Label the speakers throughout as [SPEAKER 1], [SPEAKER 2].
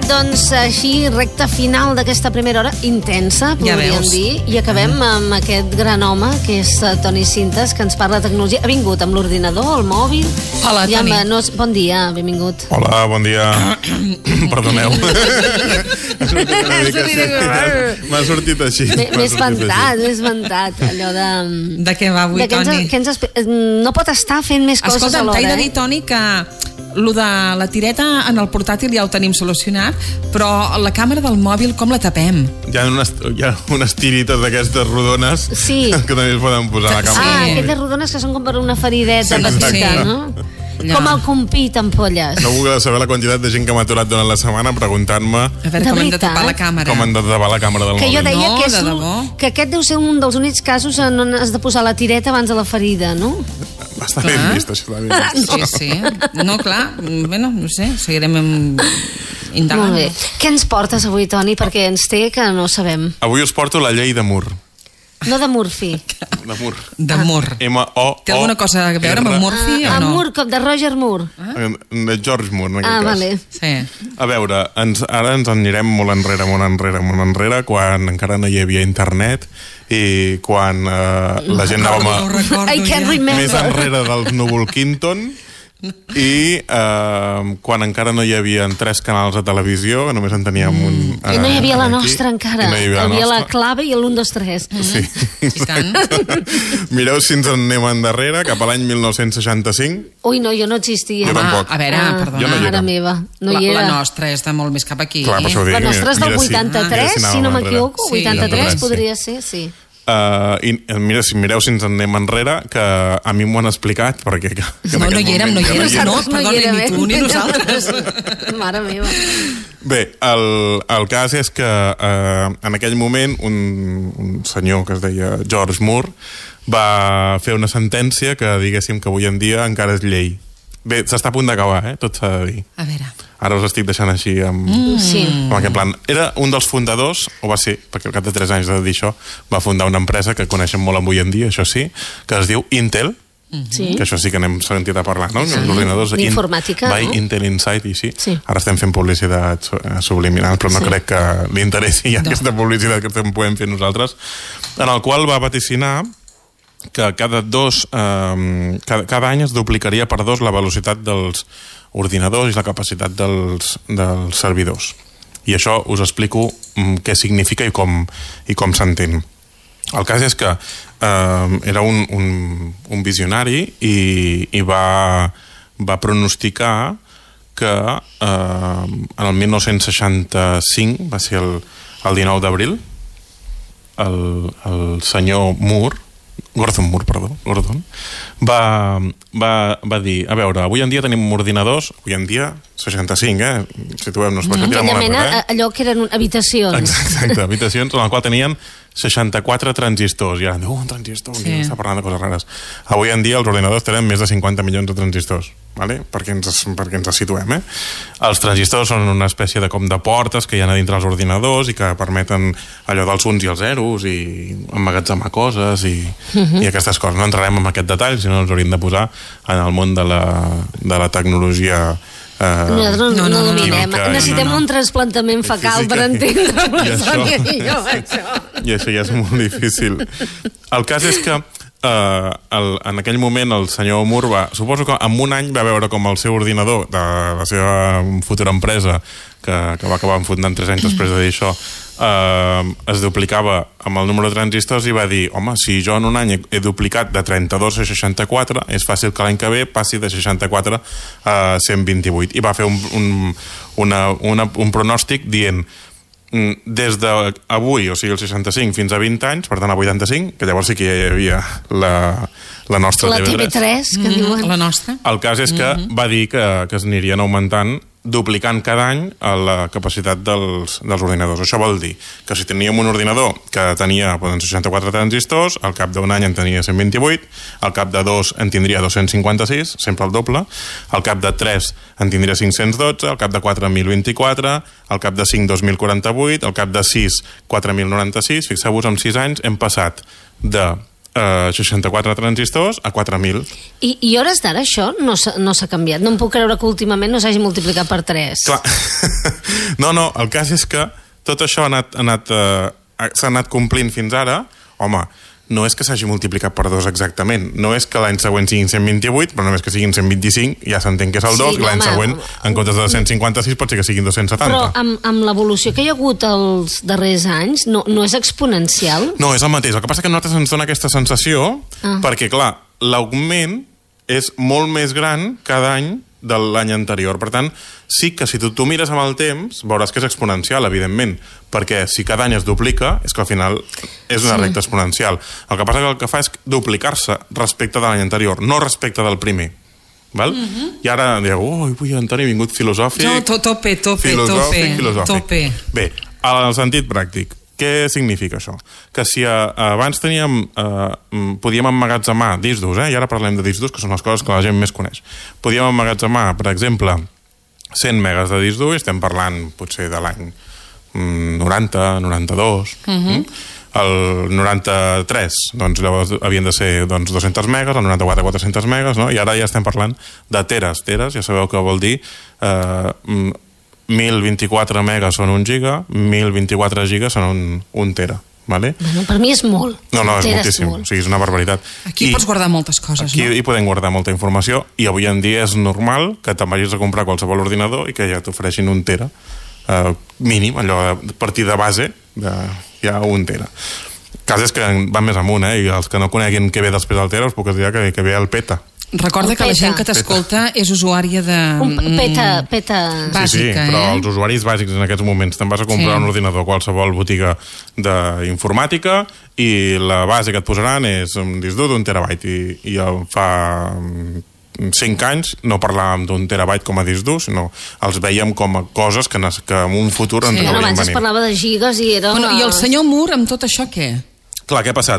[SPEAKER 1] doncs així, recta final d'aquesta primera hora, intensa, podríem dir, i acabem amb aquest gran home, que és Toni Cintas, que ens parla de tecnologia. Ha vingut amb l'ordinador, el mòbil...
[SPEAKER 2] Hola, Toni.
[SPEAKER 1] Bon dia, benvingut.
[SPEAKER 3] Hola, bon dia. Perdoneu. M'ha sortit així.
[SPEAKER 1] M'he espantat, allò de...
[SPEAKER 2] De què va avui, Toni?
[SPEAKER 1] No pot estar fent més coses alhora.
[SPEAKER 2] Escolta'm, t'he de dir, Toni, que lo de la tireta en el portàtil ja ho tenim solucionat, però la càmera del mòbil com la tapem?
[SPEAKER 3] Hi ha unes tirites d'aquestes rodones que també es poden posar a la càmera.
[SPEAKER 1] Aquelles rodones que són com per una ferideta petita, no? Com el compit amb polles.
[SPEAKER 3] No vull saber la quantitat de gent que m'ha aturat durant la setmana preguntant-me
[SPEAKER 2] com hem de tapar la càmera.
[SPEAKER 3] Com hem de tapar la càmera del mòbil.
[SPEAKER 1] Que jo deia que aquest deu ser un dels únics casos on has de posar la tireta abans de la ferida, no?
[SPEAKER 3] Està ben vist, això està ben vist.
[SPEAKER 2] Sí. No, clar, bueno, no sé, seguirem indagant.
[SPEAKER 1] Molt bé. Què ens portes avui, Toni? Perquè ens té que no sabem.
[SPEAKER 3] Avui us porto la llei de Moore.
[SPEAKER 1] No de Murphy.
[SPEAKER 3] De Moore.
[SPEAKER 2] De Moore.
[SPEAKER 3] M-O-O-R.
[SPEAKER 2] Té alguna cosa a veure amb Murphy o no?
[SPEAKER 1] Moore, com de Roger Moore.
[SPEAKER 3] De George Moore, en aquest cas.
[SPEAKER 1] Vale.
[SPEAKER 2] Sí.
[SPEAKER 3] A veure, ara ens anirem molt enrere, quan encara no hi havia internet i quan la gent anàvem més enrere dels Núvol Quinton i quan encara no hi havia 3 canals de televisió, només en teníem un...
[SPEAKER 1] I no hi havia la nostra encara. Hi havia la clave i l'1, 2, 3.
[SPEAKER 3] Sí.
[SPEAKER 2] I tant.
[SPEAKER 3] Mireu si ens en anem endarrere, cap a l'any 1965.
[SPEAKER 1] Ui, no, jo no existia.
[SPEAKER 3] Jo tampoc.
[SPEAKER 2] A veure, perdona.
[SPEAKER 1] Mare meva, no hi era.
[SPEAKER 2] La nostra és de molt més cap aquí.
[SPEAKER 3] Clar, per això ho dic.
[SPEAKER 1] La nostra és del 83, si no m'equivoco. 83 podria ser, sí.
[SPEAKER 3] I mira, si mireu si ens en anem enrere, que a mi m'ho han explicat perquè
[SPEAKER 2] no hi érem, perdona, ni tu ni nosaltres.
[SPEAKER 1] Mare meva.
[SPEAKER 3] Bé, el cas és que en aquell moment un senyor que es deia George Moore va fer una sentència que diguéssim que avui en dia encara és llei. Bé, s'està a punt d'acabar, tot s'ha de dir.
[SPEAKER 2] A veure.
[SPEAKER 3] Ara us estic deixant així amb aquest plan. Era un dels fundadors, o va ser, perquè al cap de 3 anys de dir això, va fundar una empresa que coneixem molt avui en dia, això sí, que es diu Intel, que això sí que n'hem sentit a parlar, no?
[SPEAKER 1] D'informàtica,
[SPEAKER 3] no? Intel Insight i sí. Ara estem fent publicitat subliminal, però no crec que li interessi aquesta publicitat que podem fer nosaltres, en el qual va vaticinar que cada any es duplicaria per 2 la velocitat dels ordinadors i la capacitat dels servidors. I això us explico què significa i com s'entén. El cas és que era un visionari i va pronosticar que en el 1965, va ser el 19 d'abril, el senyor Gordon Moore, va dir, a veure, avui en dia tenim ordinadors, avui en dia 65, situem-nos per tirar molt enrere.
[SPEAKER 1] Allò que eren habitacions.
[SPEAKER 3] Exacte, habitacions en el qual tenien 64 transistors, i ara un transistor, està parlant de coses rares. Avui en dia els ordinadors tenen més de 50 milions de transistors, vale? perquè ens situem. Els transistors són una espècie de portes que hi ha a dintre els ordinadors i que permeten allò dels uns i els zeros i emmagatzemar coses i aquestes coses. No entrarem en aquest detall, sinó ens hauríem de posar en el món de la tecnologia.
[SPEAKER 1] Nosaltres no dominem. Necessitem un trasplantament fecal per entendre la Sònia i jo això.
[SPEAKER 3] I això ja és molt difícil. El cas és que en aquell moment el senyor Moore suposo que en un any va veure com el seu ordinador de la seva futura empresa, que va acabar fundant 3 anys després de dir això, es duplicava amb el número de transistors i va dir, home, si jo en un any he duplicat de 32 a 64, és fàcil que l'any que ve passi de 64 a 128. I va fer un pronòstic dient, des d'avui, o sigui el 65 fins a 20 anys, per tant a 85, que llavors sí que hi havia la nostra
[SPEAKER 1] TV3, que diuen.
[SPEAKER 2] La nostra.
[SPEAKER 3] El cas és que va dir que es anirien augmentant, duplicant cada any la capacitat dels ordinadors. Això vol dir que si teníem un ordinador que tenia 64 transistors, al cap d'un any en tenia 128, al cap de 2 en tindria 256, sempre el doble, al cap de 3 en tindria 512, al cap de 4 1024, al cap de 5 2048, al cap de 6 4096. Fixeu-vos, en 6 anys hem passat de 64 transistors a 4.000.
[SPEAKER 1] I hores d'ara això no s'ha canviat. No em puc creure que últimament no s'hagi multiplicat per 3.
[SPEAKER 3] Clar. No, el cas és que tot això s'ha anat complint fins ara. Home, no és que s'hagi multiplicat per 2 exactament, no és que l'any següent siguin 128, però només que siguin 125 ja s'entén que és el 2, i l'any següent en comptes de 156 pot ser que siguin 270.
[SPEAKER 1] Però amb l'evolució que hi ha hagut els darrers anys no és exponencial?
[SPEAKER 3] No, és el mateix, el que passa que a nosaltres ens dona aquesta sensació perquè clar, l'augment és molt més gran cada any de l'any anterior. Per tant, sí que si tu mires amb el temps veuràs que és exponencial, evidentment, perquè si cada any es duplica és que al final és una recta exponencial. El que passa que el que fa és duplicar-se respecte de l'any anterior, no respecte del primer. Val? I ara dieu, ui, Antoni, ha vingut filosòfic.
[SPEAKER 2] No, tope.
[SPEAKER 3] Filosòfic. Bé, al sentit pràctic, què significa això? Que si abans podíem emmagatzemar discs durs, i ara parlem de discs durs, que són les coses que la gent més coneix. Podíem emmagatzemar, per exemple, 100 megas de disc dur, estem parlant potser de l'any 90, 92... El 93, doncs llavors havien de ser 200 megas, el 94 400 megas, no? I ara ja estem parlant de teres, ja sabeu què vol dir 1024 megas són 1 giga, 1024 gigas són un tera. Vale?
[SPEAKER 1] Bueno, per mi és molt.
[SPEAKER 3] No, és moltíssim. O sigui, és una barbaritat.
[SPEAKER 2] Aquí pots guardar moltes coses,
[SPEAKER 3] aquí hi podem guardar molta informació i avui en dia és normal que te'n vagis a comprar qualsevol ordinador i que ja t'ofereixin 1 tera mínim, allò a partir de base ja 1 tera. El cas és que van més amunt, i els que no coneguin què ve després del tera us puc dir que ve el peta.
[SPEAKER 2] Recorda que la gent que t'escolta és usuària de...
[SPEAKER 1] Peta
[SPEAKER 2] bàsica,
[SPEAKER 3] sí, però els usuaris bàsics en aquests moments te'n vas a comprar un ordinador a qualsevol botiga d'informàtica i la base que et posaran és un disc dur d'1 terabyte i fa 5 anys no parlàvem d'1 terabyte com a disc dur, sinó els veiem com a coses que en un futur ens haurien venir.
[SPEAKER 1] Abans es parlava de gigas i era...
[SPEAKER 2] I el senyor Moore amb tot això què?
[SPEAKER 3] Clar, què ha passat?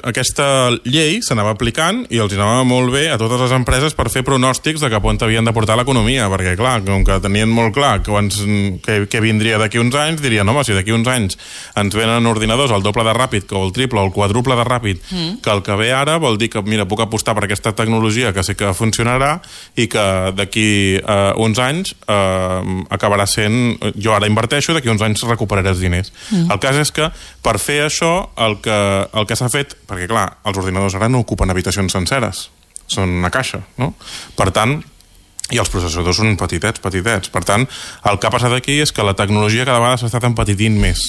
[SPEAKER 3] Aquesta llei s'anava aplicant i els anava molt bé a totes les empreses per fer pronòstics de cap on havien de portar l'economia, perquè clar, com que tenien molt clar que vindria d'aquí uns anys, dirien, home, si d'aquí uns anys ens venen ordinadors el doble de ràpid que el triple o el quadruple de ràpid que el que ve ara, vol dir que, mira, puc apostar per aquesta tecnologia que sé que funcionarà i que d'aquí uns anys acabarà sent, jo ara inverteixo, d'aquí uns anys recuperaré els diners. El cas és que per fer això, el que s'ha fet, perquè clar, els ordinadors ara no ocupen habitacions senceres, són una caixa, no? Per tant, i els processadors són petitets. Per tant, el que ha passat aquí és que la tecnologia cada vegada s'ha estat empetitint més.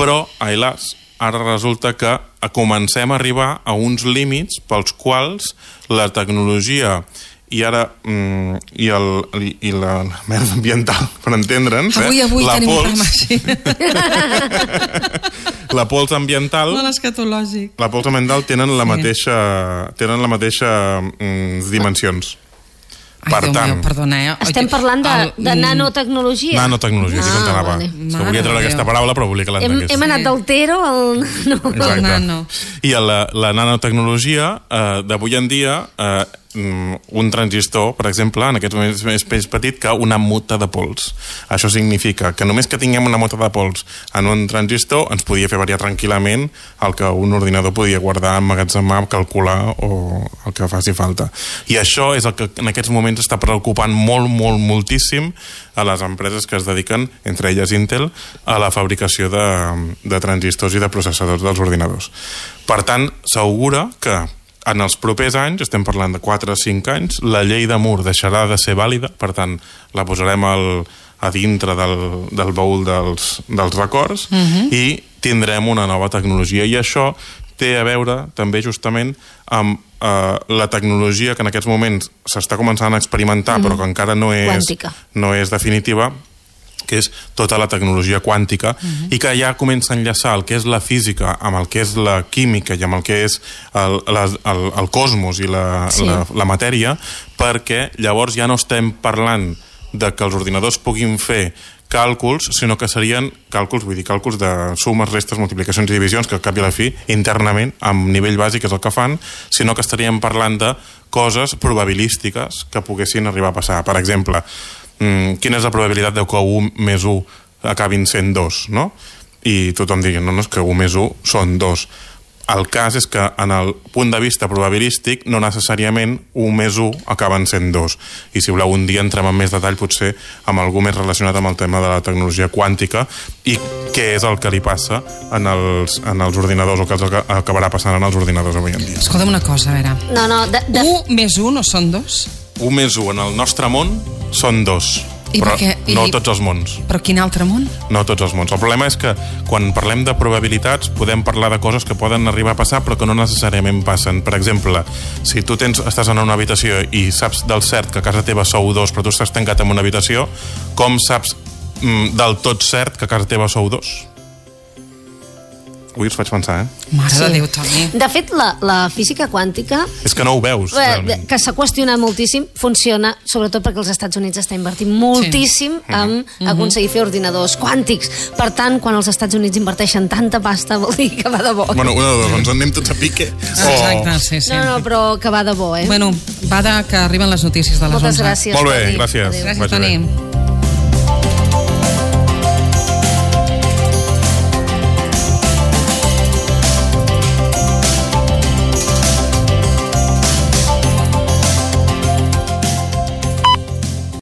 [SPEAKER 3] Però, ailas, ara resulta que comencem a arribar a uns límits pels quals la tecnologia i ara i la merda ambiental, per entendre'ns,
[SPEAKER 2] avui tenim un programa així.
[SPEAKER 3] La pols ambiental la pols ambiental tenen la mateixa dimensions.
[SPEAKER 2] Per tant, perdona,
[SPEAKER 1] estem parlant de nanotecnologia.
[SPEAKER 3] Nanotecnologia, sí, com t'anava. Volia treure aquesta paraula, però volia que l'entengués.
[SPEAKER 1] Hem anat del tero al
[SPEAKER 2] nano.
[SPEAKER 3] I la nanotecnologia d'avui en dia, un transistor, per exemple, en aquests moments és més petit que una mota de pols. Això significa que només que tinguem una mota de pols en un transistor ens podia fer variar tranquil·lament el que un ordinador podia guardar, emmagatzemar, calcular o el que faci falta. I això és el que en aquests moments està preocupant moltíssim a les empreses que es dediquen, entre elles Intel, a la fabricació de transistors i de processadors dels ordinadors. Per tant, s'augura que en els propers anys, estem parlant de 4 o 5 anys, la llei de Moore deixarà de ser vàlida, per tant, la posarem a dintre del baúl dels records i tindrem una nova tecnologia. I això té a veure també justament amb la tecnologia que en aquests moments s'està començant a experimentar, però que encara no és definitiva, que és tota la tecnologia quàntica i que ja comença a enllaçar el que és la física amb el que és la química i amb el que és el cosmos i la matèria, perquè llavors ja no estem parlant de que els ordinadors puguin fer càlculs, sinó que serien càlculs, vull dir, càlculs de sumes, restes, multiplicacions i divisions, que al cap i a la fi, internament, amb nivell bàsic és el que fan, sinó que estaríem parlant de coses probabilístiques que poguessin arribar a passar. Per exemple, quina és la probabilitat que 1 més 1 acabin sent 2, no? I tothom digui, no, és que 1 més 1 són 2. El cas és que en el punt de vista probabilístic no necessàriament 1 més 1 acaben sent 2. I si voleu un dia entrem en més detall potser amb algú més relacionat amb el tema de la tecnologia quàntica i què és el que li passa en els ordinadors o que acabarà passant en els ordinadors avui en dia.
[SPEAKER 2] Escolta'm una cosa, a veure.
[SPEAKER 1] No,
[SPEAKER 2] 1 més 1 no són 2?
[SPEAKER 3] 1 més 1 en el nostre món són 2. Però no tots els mons.
[SPEAKER 2] Però quin altre món?
[SPEAKER 3] No tots els mons. El problema és que quan parlem de probabilitats podem parlar de coses que poden arribar a passar però que no necessàriament passen. Per exemple, si tu estàs en una habitació i saps del cert que a casa teva sou 2 però tu estàs tancat en una habitació, com saps del tot cert que a casa teva sou 2? Ui, us faig pensar,
[SPEAKER 2] Mare de Déu, Toni.
[SPEAKER 1] De fet, la física quàntica...
[SPEAKER 3] És que no ho veus, realment.
[SPEAKER 1] Que s'ha qüestionat moltíssim, funciona, sobretot perquè els Estats Units està invertint moltíssim en aconseguir fer ordinadors quàntics. Per tant, quan els Estats Units inverteixen tanta pasta, vol dir que va de bo.
[SPEAKER 3] Bueno, una de dos, ens anem tots a pique.
[SPEAKER 2] Exacte, sí.
[SPEAKER 1] No, però que va de bo,
[SPEAKER 2] Bueno, va de que arriben les notícies de les 11.
[SPEAKER 1] Moltes gràcies.
[SPEAKER 3] Molt bé, gràcies.
[SPEAKER 2] Gràcies, Toni.